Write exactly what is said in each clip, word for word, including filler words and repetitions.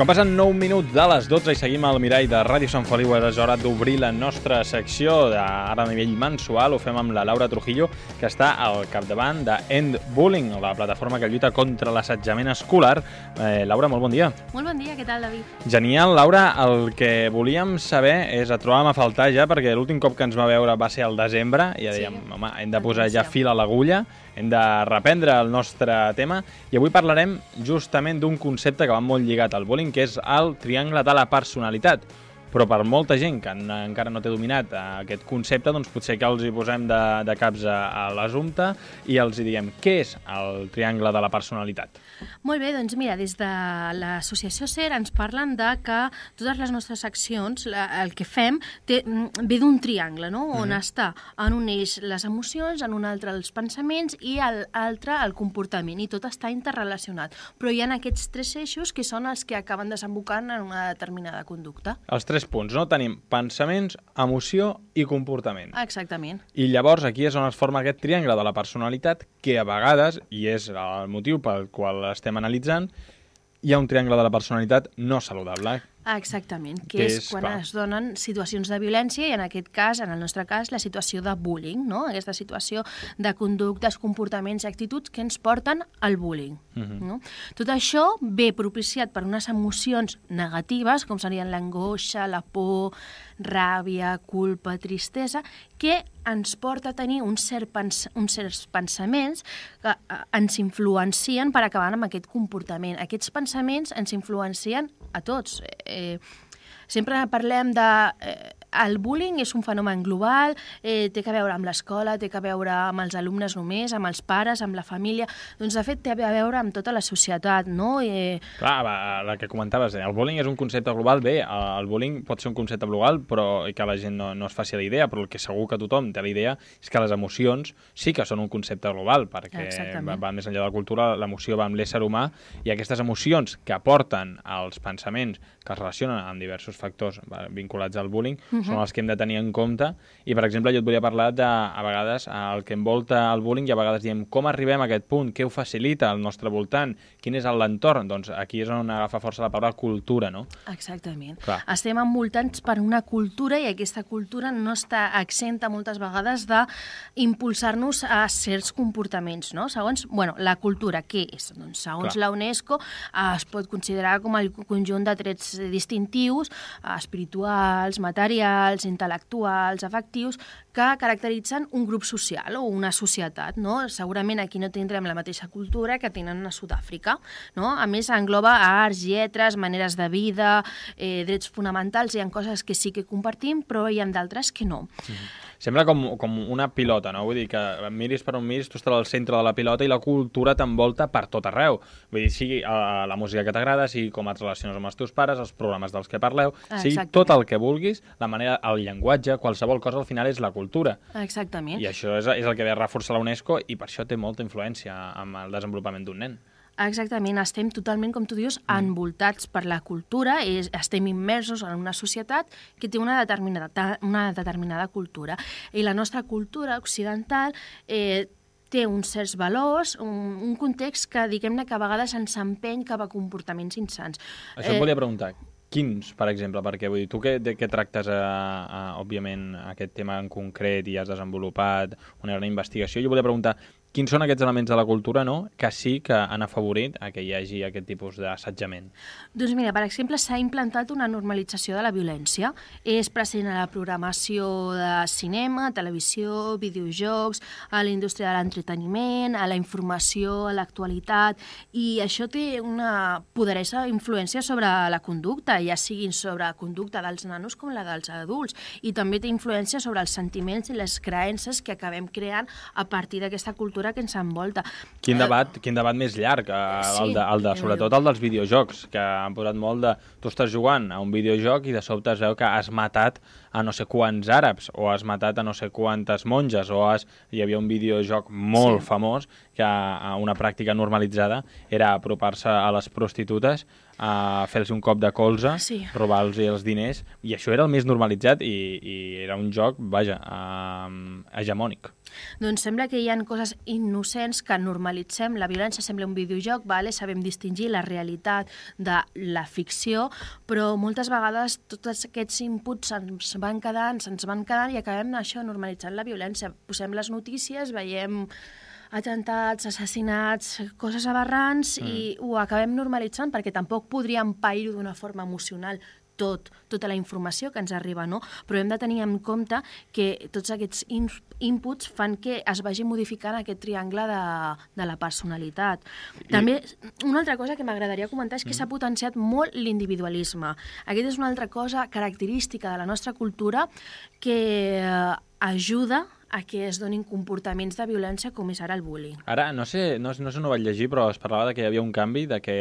Quan passen nou minuts de les dotze i seguim al mirall de Ràdio Sant Feliu, és hora d'obrir la nostra secció ara a nivell mensual. Ho fem amb la Laura Trujillo, que està al capdavant de End Bullying, la plataforma que lluita contra l'assetjament escolar. Eh, Laura, molt bon dia. Molt bon dia, què tal, David? Genial, Laura. El que volíem saber és, et trobàvem a faltar ja, perquè l'últim cop que ens va veure va ser al desembre, i ja dèiem, sí. home, hem de posar ja fil a l'agulla, hem de reprendre el nostre tema, i avui parlarem justament d'un concepte que va molt lligat al bullying, que és el triangle de la personalitat. Però per molta gent que encara no té dominat aquest concepte, doncs potser que els hi posem de, de caps a, a l'assumpte i els hi diguem què és el triangle de la personalitat. Molt bé, doncs mira, des de l'associació SER ens parlen de que totes les nostres accions, la, el que fem, té, ve d'un triangle, no? On mm-hmm. està en un eix les emocions, en un altre els pensaments i l'altre el comportament, i tot està interrelacionat. Però hi ha aquests tres eixos que són els que acaben desembocant en una determinada conducta. Els tres punts, no? Tenim pensaments, emoció i comportament. Exactament. I llavors aquí és on es forma aquest triangle de la personalitat que a vegades, i és el motiu pel qual estem analitzant, hi ha un triangle de la personalitat no saludable. Exactament, que, que és, és quan clar. es donen situacions de violència i en aquest cas, en el nostre cas, la situació de bullying, no? Aquesta situació de conductes, comportaments i actituds que ens porten al bullying. Uh-huh. No? Tot això ve propiciat per unes emocions negatives, com serien l'angoixa, la por, ràbia, culpa, tristesa, que ens porta a tenir uns, cert pens uns certs pensaments que eh, ens influencien per acabar amb aquest comportament. Aquests pensaments ens influencien a tots. Eh, sempre parlem de... Eh, el bullying és un fenomen global, eh, té que veure amb l'escola, té que veure amb els alumnes només, amb els pares, amb la família. Doncs, de fet, té a veure amb tota la societat, no? Eh... Clar, va, el que comentaves, el bullying és un concepte global. Bé, el bullying pot ser un concepte global, però que la gent no, no es faci la idea, però el que segur que tothom té la idea és que les emocions sí que són un concepte global, perquè va, va més enllà de la cultura, l'emoció va amb l'ésser humà, i aquestes emocions que aporten als pensaments que es relacionen amb diversos factors vinculats al bullying, uh-huh. són els que hem de tenir en compte. I, per exemple, jo et volia parlar de, a vegades, el que envolta el bullying, i a vegades diem com arribem a aquest punt, què ho facilita al nostre voltant, quin és l'entorn. Doncs aquí és on agafa força la paraula cultura, no? Exactament. Clar. Estem envoltats per una cultura i aquesta cultura no està exenta moltes vegades d'impulsar-nos a certs comportaments, no? Segons, bueno, la cultura, què és? Doncs, segons Clar. la UNESCO, es pot considerar com el conjunt de trets distintius, espirituals, materials, intel·lectuals, afectius, que caracteritzen un grup social o una societat, no? Segurament aquí no tindrem la mateixa cultura que tenen a Sud-àfrica, no? A més, engloba arts, lletres, maneres de vida, eh, drets fonamentals. Hi ha coses que sí que compartim, però hi ha d'altres que no. Mm-hmm. Sembla com, com una pilota, no? Vull dir que miris per on miris, tu estàs al centre de la pilota i la cultura t'envolta per tot arreu. Vull dir, sigui uh, la música que t'agrada, sigui com et relaciones amb els teus pares, els programes dels que parleu, sigui Exactament. tot el que vulguis, la manera, el llenguatge, qualsevol cosa al final és la cultura. Exactament. I això és, és el que ve a reforçar la UNESCO, i per això té molta influència amb el desenvolupament d'un nen. Exactament, estem totalment, com tu dius, envoltats per la cultura, és, estem immersos en una societat que té una determinada, una determinada cultura. I la nostra cultura occidental eh, té uns certs valors, un, un context que, diguem-ne, que a vegades ens empeny cap a comportaments insans. Això eh, et volia preguntar. Quins, per exemple? Perquè vull dir, tu que, que tractes, a, a, òbviament, aquest tema en concret i has desenvolupat una gran investigació, jo volia preguntar quins són aquests elements de la cultura, no?, que sí que han afavorit a que hi hagi aquest tipus d'assetjament? Doncs mira, per exemple, s'ha implantat una normalització de la violència. És present a la programació de cinema, televisió, videojocs, a la indústria de l'entreteniment, a la informació, a l'actualitat, i això té una poderosa influència sobre la conducta, ja siguin sobre la conducta dels nanos com la dels adults, i també té influència sobre els sentiments i les creences que acabem creant a partir d'aquesta cultura que ens envolta. Quin debat, quin debat més llarg, el de, el de, sobretot el dels videojocs, que han posat molt de... Tu estàs jugant a un videojoc i de sobte es veu que has matat a no sé quants àrabs, o has matat a no sé quantes monges, o has... hi havia un videojoc molt sí. famós que a una pràctica normalitzada era apropar-se a les prostitutes a fer-los un cop de colze, sí. robar-los els diners, i això era el més normalitzat i, i era un joc, vaja, uh, hegemònic. Doncs sembla que hi ha coses innocents que normalitzem. La violència sembla un videojoc, vale? Sabem distingir la realitat de la ficció, però moltes vegades tots aquests inputs se'ns van quedant, se'ns van quedant i acabem això normalitzant la violència. Posem les notícies, veiem atemptats, assassinats, coses aberrants mm. i ho acabem normalitzant perquè tampoc podríem pair-ho d'una forma emocional tot, tota la informació que ens arriba, no? Però hem de tenir en compte que tots aquests in inputs fan que es vagi modificant aquest triangle de, de la personalitat. I... També, una altra cosa que m'agradaria comentar és que mm. s'ha potenciat molt l'individualisme. Aquesta és una altra cosa característica de la nostra cultura que eh, ajuda a que es donin comportaments de violència com és ara el bullying. Ara, no sé, no, no sé on ho vaig llegir, però es parlava de que hi havia un canvi, de que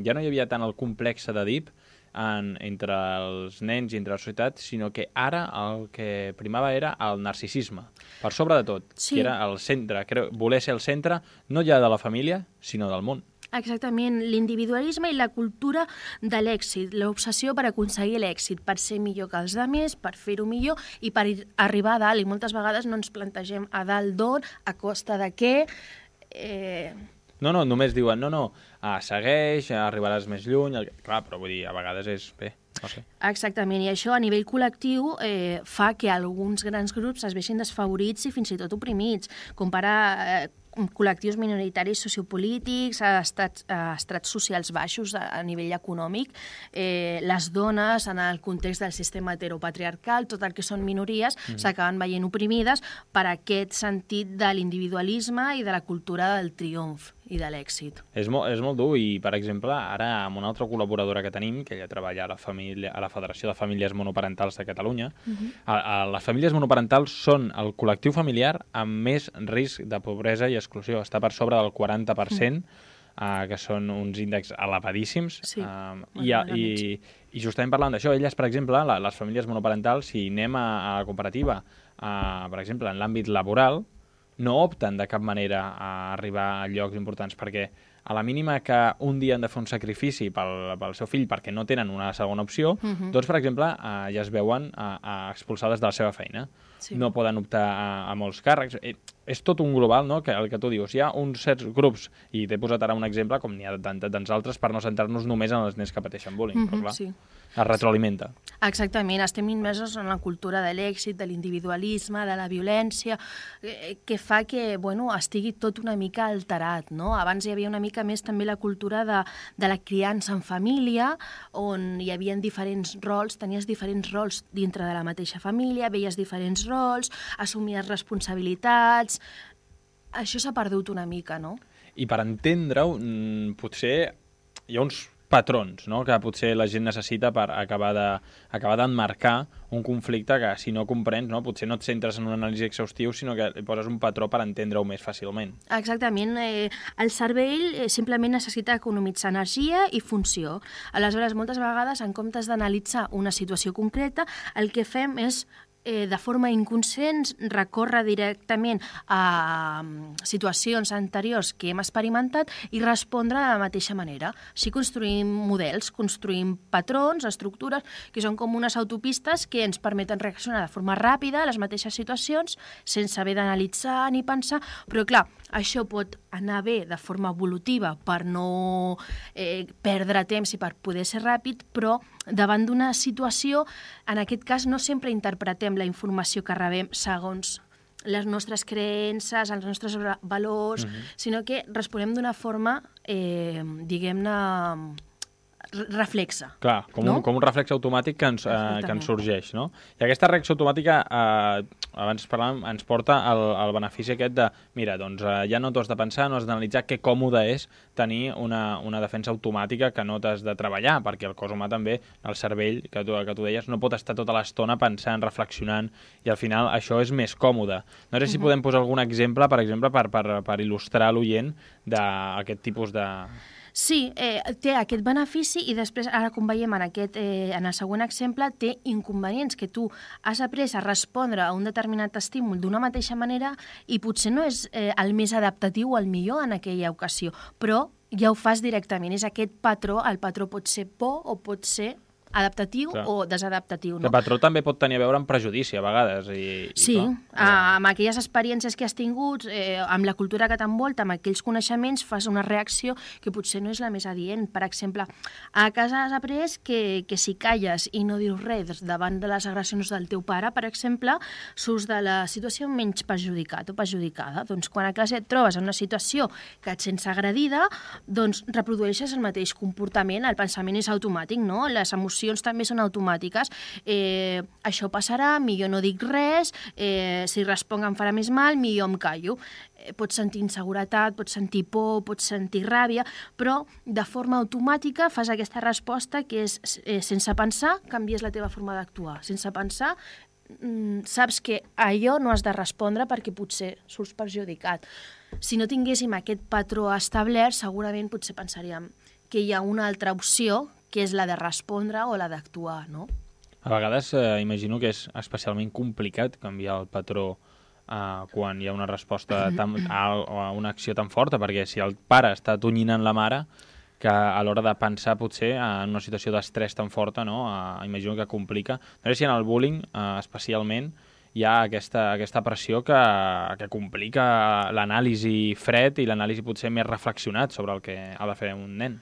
ja no hi havia tant el complex d'Èdip en, entre els nens i entre la societat, sinó que ara el que primava era el narcisisme, per sobre de tot, sí. que era el centre, creu, voler ser el centre no ja de la família, sinó del món. Exactament, l'individualisme i la cultura de l'èxit, l'obsessió per aconseguir l'èxit, per ser millor que els altres, per fer-ho millor i per arribar a dalt. I moltes vegades no ens plantegem a dalt d'on, a costa de què... Eh... No, no, només diuen, no, no, ah, segueix, arribaràs més lluny... El... Clar, però vull dir, a vegades és bé, no sé. Exactament, i això a nivell col·lectiu eh, fa que alguns grans grups es vegin desfavorits i fins i tot oprimits, com per a... Eh, col·lectius minoritaris sociopolítics, a estrats, a estrats socials baixos a, a nivell econòmic, eh, les dones en el context del sistema heteropatriarcal, tot el que són minories, mm. s'acaben veient oprimides per aquest sentit de l'individualisme i de la cultura del triomf i de l'èxit. És, mo és molt dur i, per exemple, ara amb una altra col·laboradora que tenim, que ella treballa a la, família, a la Federació de Famílies Monoparentals de Catalunya, mm-hmm. a, a les famílies monoparentals són el col·lectiu familiar amb més risc de pobresa i exclusió. Està per sobre del quaranta per cent, mm. uh, que són uns índexs elevadíssims. Sí, uh, i, i, I justament parlant d'això, elles, per exemple, la, les famílies monoparentals, si anem a, a la comparativa, uh, per exemple, en l'àmbit laboral, no opten de cap manera a arribar a llocs importants, perquè a la mínima que un dia han de fer un sacrifici pel, pel seu fill perquè no tenen una segona opció, uh-huh. doncs, per exemple, eh, ja es veuen eh, expulsades de la seva feina. Sí. No poden optar a, a molts càrrecs. Eh, és tot un global, no?, que el que tu dius. Hi ha uns certs grups, i t'he posat ara un exemple, com n'hi ha tants altres, per no centrar-nos només en els nens que pateixen bullying, uh-huh, però clar, sí. es retroalimenta. Exactament, estem immersos en la cultura de l'èxit, de l'individualisme, de la violència, eh, que fa que, bueno, estigui tot una mica alterat, no? Abans hi havia una mica més també la cultura de, de la criança en família, on hi havia diferents rols, tenies diferents rols dintre de la mateixa família, veies diferents rols, assumies responsabilitats... Això s'ha perdut una mica, no? I per entendre-ho, potser hi ha uns patrons, no?, que potser la gent necessita per acabar de, acabar d'emmarcar un conflicte que, si no comprens, no, potser no et centres en un anàlisi exhaustiu, sinó que hi poses un patró per entendre-ho més fàcilment. Exactament. Eh, el cervell eh, simplement necessita economitzar energia i funció. Aleshores, moltes vegades, en comptes d'analitzar una situació concreta, el que fem és Eh, de forma inconscient, recórrer directament a um, situacions anteriors que hem experimentat i respondre de la mateixa manera. Així construïm models, construïm patrons, estructures, que són com unes autopistes que ens permeten reaccionar de forma ràpida a les mateixes situacions, sense haver d'analitzar ni pensar, però clar, això pot anar bé de forma evolutiva per no eh, perdre temps i per poder ser ràpid, però davant d'una situació, en aquest cas no sempre interpretem la informació que rebem segons les nostres creences, els nostres valors, uh-huh. sinó que responem d'una forma, eh, diguem-ne, reflexa. Clar, com, no? un, com un reflex automàtic que ens, eh, que ens sorgeix, no? I aquesta reacció automàtica, eh, abans parlàvem, ens porta al, al benefici aquest de, mira, doncs eh, ja no t'ho has de pensar, no has d'analitzar que còmode és tenir una, una defensa automàtica que no t'has de treballar, perquè el cos humà també, el cervell, que tu, que tu deies, no pot estar tota l'estona pensant, reflexionant, i al final això és més còmode. No sé si uh-huh. podem posar algun exemple, per exemple, per, per, per il·lustrar l'oient d'aquest tipus de... Sí, eh, té aquest benefici i després, ara com veiem en, aquest, eh, en el següent exemple, té inconvenients, que tu has après a respondre a un determinat estímul d'una mateixa manera i potser no és eh, el més adaptatiu o el millor en aquella ocasió, però ja ho fas directament. És aquest patró, el patró pot ser por o pot ser adaptatiu clar. O desadaptatiu. No? El patró també pot tenir a veure amb prejudici, a vegades. I, sí, i clar, amb aquelles experiències que has tingut, eh, amb la cultura que t'envolta, amb aquells coneixements, fas una reacció que potser no és la més adient. Per exemple, a casa has après que, que si calles i no dius res davant de les agressions del teu pare, per exemple, surts de la situació menys perjudicat o perjudicada. Doncs quan a classe et trobes en una situació que et sents agredida, doncs reprodueixes el mateix comportament, el pensament és automàtic, no? Les emocions també són automàtiques. Eh, això passarà, millor no dic res, eh, si responc em farà més mal, millor em callo. Eh, pots sentir inseguretat, pots sentir por, pots sentir ràbia, però de forma automàtica fas aquesta resposta que és, eh, sense pensar, canvies la teva forma d'actuar. Sense pensar, mm, saps que allò no has de respondre perquè potser surts perjudicat. Si no tinguéssim aquest patró establert, segurament potser pensaríem que hi ha una altra opció, que és la de respondre o la d'actuar, no? A vegades eh, imagino que és especialment complicat canviar el patró eh, quan hi ha una resposta tan, a, a una acció tan forta, perquè si el pare està tonyinant la mare, que a l'hora de pensar potser en una situació d'estrès tan forta, no? Eh, imagino que complica. No sé si en el bullying, eh, especialment, hi ha aquesta, aquesta pressió que, que complica l'anàlisi fred i l'anàlisi potser més reflexionat sobre el que ha de fer un nen.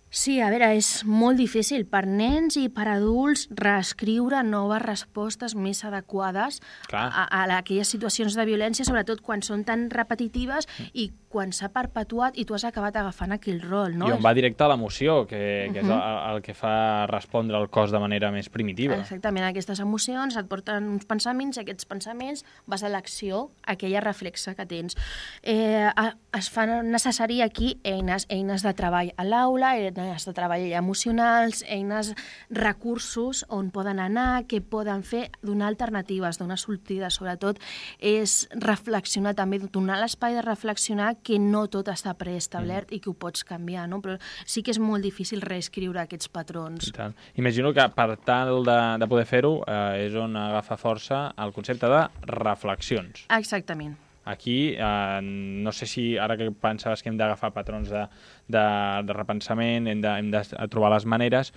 Sí, a veure, és molt difícil per nens i per adults reescriure noves respostes més adequades a, a, a aquelles situacions de violència, sobretot quan són tan repetitives mm. i quan s'ha perpetuat i tu has acabat agafant aquell rol, no? I on va directe a l'emoció, que, que uh -huh. és el, el que fa respondre al cos de manera més primitiva. Exactament, aquestes emocions et porten uns pensaments i aquests pensaments vas a l'acció, aquella reflexa que tens. Eh, es fa necessari aquí eines, eines de treball a l'aula, eines de treball emocionals, eines, recursos on poden anar, què poden fer, donar alternatives, donar sortides, sobretot és reflexionar també, donar l'espai de reflexionar que no tot està preestablert mm. i que ho pots canviar, no? Però sí que és molt difícil reescriure aquests patrons. I tant. Imagino que per tal de, de poder fer-ho eh, és on agafa força el concepte de reflexions. Exactament. Aquí, eh, no sé si ara que pensaves que hem d'agafar patrons de, de, de repensament, hem de, hem de trobar les maneres,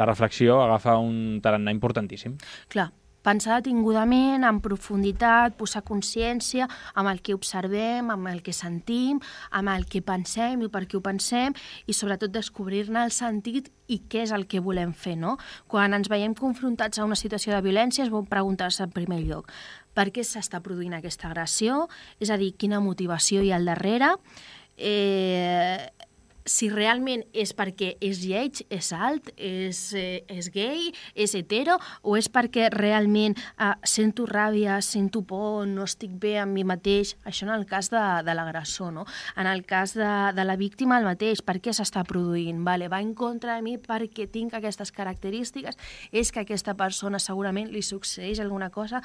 la reflexió agafa un tarannà importantíssim. Clar, pensar detingudament, en profunditat, posar consciència amb el que observem, amb el que sentim, amb el que pensem i per què ho pensem, i sobretot descobrir-ne el sentit i què és el que volem fer, no? Quan ens veiem confrontats a una situació de violència, es vol preguntar-se en primer lloc per què s'està produint aquesta agressió, és a dir, quina motivació hi ha al darrere, eh, si realment és perquè és lleig, és alt, és, eh, és gay, és hetero, o és perquè realment eh, sento ràbia, sento por, no estic bé amb mi mateix, això en el cas de, de l'agressor, no? En el cas de, de la víctima el mateix, per què s'està produint? Vale, va en contra de mi perquè tinc aquestes característiques, és que a aquesta persona segurament li succeeix alguna cosa.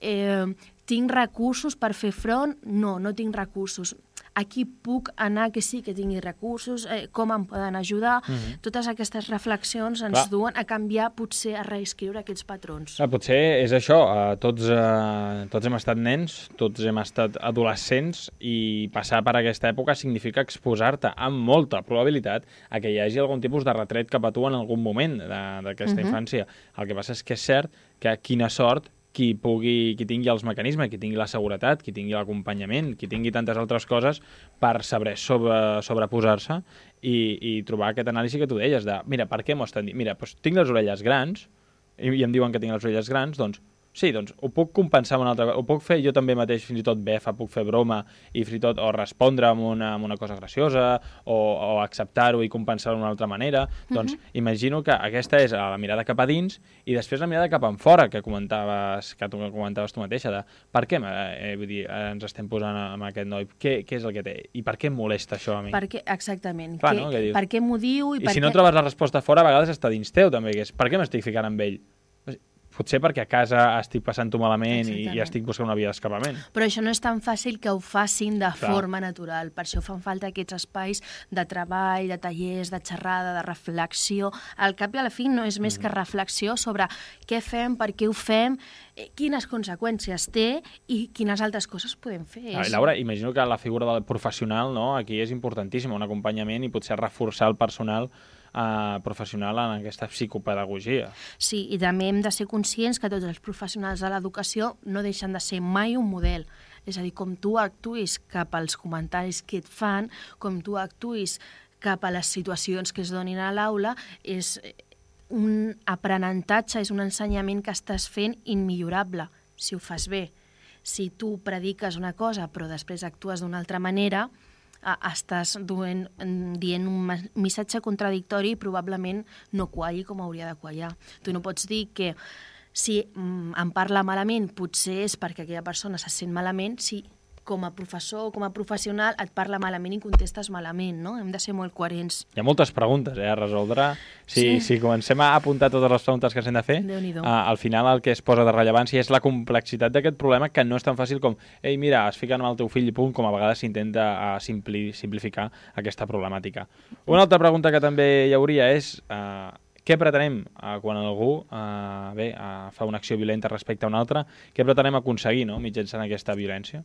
Eh, tinc recursos per fer front? No, no tinc recursos. Aquí puc anar que sí que tingui recursos, eh, com em poden ajudar. Mm-hmm. Totes aquestes reflexions ens Clar. duen a canviar, potser a reescriure aquests patrons. Clar, potser és això, uh, tots, uh, tots hem estat nens, tots hem estat adolescents i passar per aquesta època significa exposar-te amb molta probabilitat a que hi hagi algun tipus de retret cap a tu en algun moment d'aquesta mm-hmm. infància. El que passa és que és cert que quina sort qui pugui, qui tingui els mecanismes, qui tingui la seguretat, qui tingui l'acompanyament, qui tingui tantes altres coses per saber sobre, sobreposar-se i, i trobar aquest anàlisi que tu deies de, mira, per què m'ho estan dient? Mira, doncs tinc les orelles grans i, i em diuen que tinc les orelles grans, doncs sí, doncs ho puc compensar amb una altra cosa, ho puc fer jo també mateix, fins i tot befa, puc fer broma i fins i tot o respondre amb una, amb una cosa graciosa o, o acceptar-ho i compensar-ho d'una altra manera. Mm-hmm. Doncs imagino que aquesta és la mirada cap a dins i després la mirada cap enfora que comentaves, que tu comentaves tu mateixa, de per què eh, vull dir, ens estem posant amb aquest noi, què, què és el que té i per què em molesta això a mi? Per què, exactament, Clar, que, no? que per què m'ho diu i, I per si què... no trobes la resposta fora, a vegades està dins teu també, que és per què m'estic ficant amb ell? potser perquè a casa estic passant-ho malament i, i estic buscant una via d'escapament. Però això no és tan fàcil que ho facin de Clar. forma natural. Per això fan falta aquests espais de treball, de tallers, de xerrada, de reflexió. Al cap i a la fi no és més mm. que reflexió sobre què fem, per què ho fem, quines conseqüències té i quines altres coses podem fer. Ah, Laura, imagino que la figura del professional, no?, aquí és importantíssima, un acompanyament i potser reforçar el personal Uh, professional en aquesta psicopedagogia. Sí, i també hem de ser conscients que tots els professionals de l'educació no deixen de ser mai un model. És a dir, com tu actuïs cap als comentaris que et fan, com tu actuïs cap a les situacions que es donin a l'aula, és un aprenentatge, és un ensenyament que estàs fent immillorable, si ho fas bé. Si tu prediques una cosa però després actues d'una altra manera, estàs duent, dient un missatge contradictori i probablement no qualli com hauria de quallar. Tu no pots dir que si em parla malament potser és perquè aquella persona se sent malament, si com a professor o com a professional et parla malament i contestes malament, no? Hem de ser molt coherents. Hi ha moltes preguntes eh, a resoldre. Si, sí. si comencem a apuntar totes les preguntes que s'han de fer, uh, al final el que es posa de rellevància és la complexitat d'aquest problema, que no és tan fàcil com ei, mira, es fiquen amb el teu fill i punt, com a vegades s'intenta uh, simpli, simplificar aquesta problemàtica. Una altra pregunta que també hi hauria és... Uh, Què pretenem uh, quan algú uh, bé, uh, fa una acció violenta respecte a una altra? Què pretenem aconseguir, no?, mitjançant aquesta violència?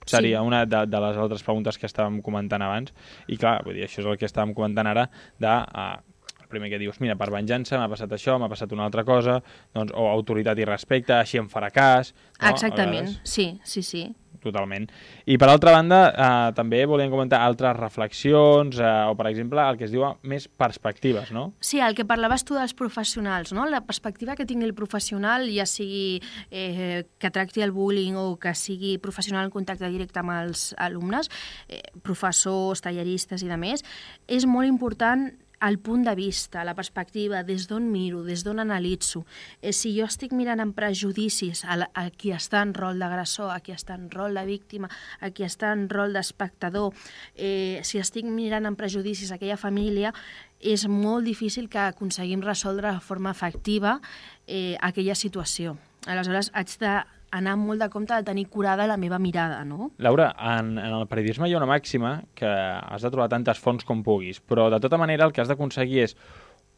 Seria sí. una de, de les altres preguntes que estàvem comentant abans. I clar, vull dir, això és el que estàvem comentant ara, de, uh, el primer que dius, mira, per venjança m'ha passat això, m'ha passat una altra cosa, doncs, o autoritat i respecte, així em farà cas... No? Exactament, sí, sí, sí. Totalment. I per altra banda, eh, també volíem comentar altres reflexions eh, o, per exemple, el que es diu més perspectives, no? Sí, el que parlaves tu dels professionals, no? La perspectiva que tingui el professional, ja sigui eh, que tracti el bullying o que sigui professional en contacte directe amb els alumnes, eh, professors, talleristes i demés, és molt important el punt de vista, la perspectiva, des d'on miro, des d'on analitzo. Eh, si jo estic mirant amb prejudicis a, la, a qui està en rol d'agressor, a qui està en rol de víctima, a qui està en rol d'espectador, eh, si estic mirant amb prejudicis aquella família, és molt difícil que aconseguim resoldre de forma efectiva eh, aquella situació. Aleshores, haig de anar molt de compte de tenir curada la meva mirada, no? Laura, en, en el periodisme hi ha una màxima que has de trobar tantes fonts com puguis, però de tota manera el que has d'aconseguir és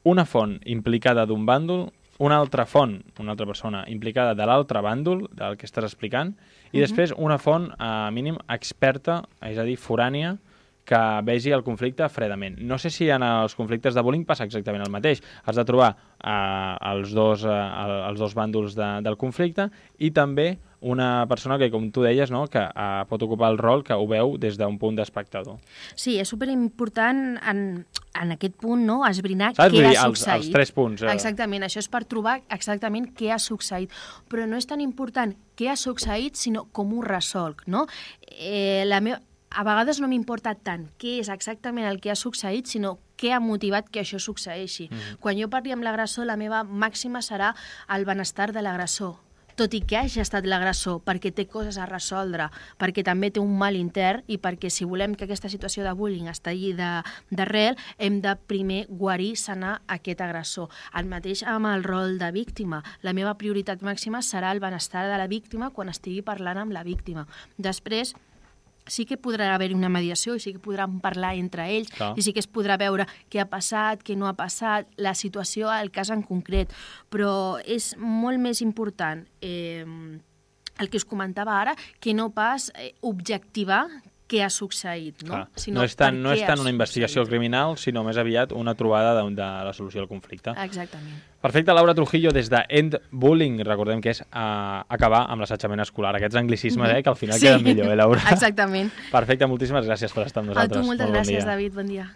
una font implicada d'un bàndol, una altra font, una altra persona implicada de l'altre bàndol, del que estàs explicant, i uh-huh. després una font, a mínim, experta, és a dir, forània, que vegi el conflicte fredament. No sé si en els conflictes de bullying passa exactament el mateix. Has de trobar eh, els, dos, eh, els dos bàndols de, del conflicte i també una persona que, com tu deies, no, que eh, pot ocupar el rol que ho veu des d'un punt d'espectador. Sí, és superimportant en, en aquest punt, no?, esbrinar Saps? què ha els, succeït. Els tres punts. Eh? Exactament, això és per trobar exactament què ha succeït. Però no és tan important què ha succeït, sinó com ho resolc, no? Eh, la meva... A vegades no m'importa tant què és exactament el que ha succeït, sinó què ha motivat que això succeeixi. Mm-hmm. Quan jo parli amb l'agressor, la meva màxima serà el benestar de l'agressor, tot i que hagi estat l'agressor, perquè té coses a resoldre, perquè també té un mal intern i perquè si volem que aquesta situació de bullying estigui d'arrel, hem de primer guarir, sanar aquest agressor. El mateix amb el rol de víctima. La meva prioritat màxima serà el benestar de la víctima quan estigui parlant amb la víctima. Després, sí que podrà haver una mediació i sí que podran parlar entre ells. Clar. I sí que es podrà veure què ha passat, què no ha passat, la situació, el cas en concret. Però és molt més important eh, el que us comentava ara que no pas eh, objectivar què ha succeït, no? Sinó no és tant, no és tant una investigació criminal, sinó més aviat una trobada de, de la solució del conflicte. Exactament. Perfecte, Laura Trujillo, des de End Bullying, recordem que és uh, acabar amb l'assetjament escolar. Aquests anglicismes, mm-hmm. eh, que al final sí. queden millor, eh, Laura? Exactament. Perfecte, moltíssimes gràcies per estar amb nosaltres. A tu moltes Molt gràcies, bon David, bon dia.